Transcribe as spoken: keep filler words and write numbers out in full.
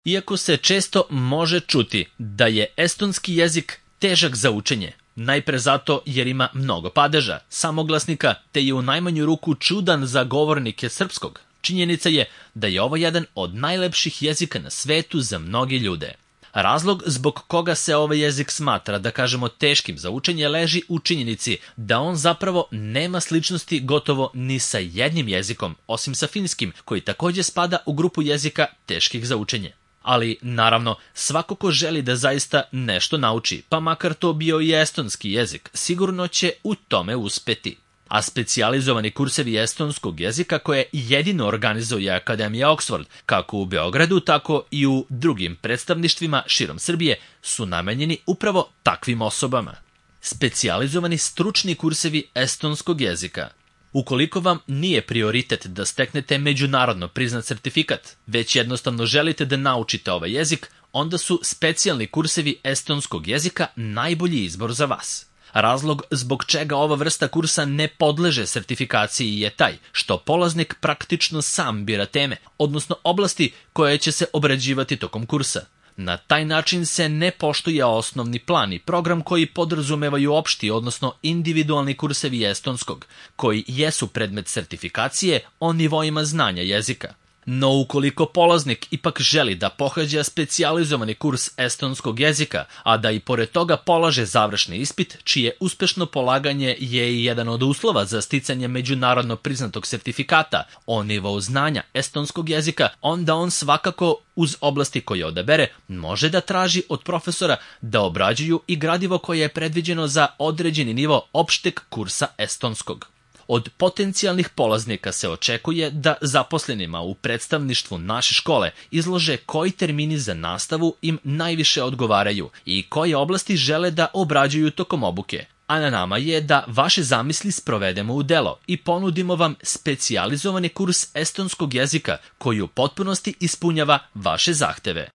Iako se često može čuti da je estonski jezik težak za učenje, najpre zato jer ima mnogo padeža, samoglasnika, te je u najmanju ruku čudan za govornike srpskog, činjenica je da je ovo jedan od najlepših jezika na svetu za mnoge ljude. Razlog zbog koga se ovaj jezik smatra, da kažemo, teškim za učenje leži u činjenici da on zapravo nema sličnosti gotovo ni sa jednim jezikom, osim sa finskim, koji takođe spada u grupu jezika teških za učenje. Ali, naravno, svako ko želi da zaista nešto nauči, pa makar to bio i estonski jezik, sigurno će u tome uspeti. A specijalizovani kursevi estonskog jezika koje jedino organizuje Akademija Oxford, kako u Beogradu, tako i u drugim predstavništvima širom Srbije, su namenjeni upravo takvim osobama. Specijalizovani stručni kursevi estonskog jezika. Ukoliko vam nije prioritet da steknete međunarodno priznat sertifikat, već jednostavno želite da naučite ovaj jezik, onda su specijalni kursevi estonskog jezika najbolji izbor za vas. Razlog zbog čega ova vrsta kursa ne podleže sertifikaciji je taj što polaznik praktično sam bira teme, odnosno oblasti koje će se obrađivati tokom kursa. Na taj način se ne poštuje osnovni plan i program koji podrazumevaju opšti, odnosno individualni kursevi estonskog, koji jesu predmet sertifikacije o nivoima znanja jezika. No ukoliko polaznik ipak želi da pohađa specijalizovani kurs estonskog jezika, a da i pored toga polaže završni ispit, čije uspešno polaganje je i jedan od uslova za sticanje međunarodno priznatog sertifikata o nivou znanja estonskog jezika, onda on svakako uz oblasti koje odabere može da traži od profesora da obrađuju i gradivo koje je predviđeno za određeni nivo opšteg kursa estonskog. Od potencijalnih polaznika se očekuje da zaposlenima u predstavništvu naše škole izlože koji termini za nastavu im najviše odgovaraju i koje oblasti žele da obrađuju tokom obuke. A na nama je da vaše zamisli sprovedemo u delo i ponudimo vam specijalizovani kurs estonskog jezika koji u potpunosti ispunjava vaše zahteve.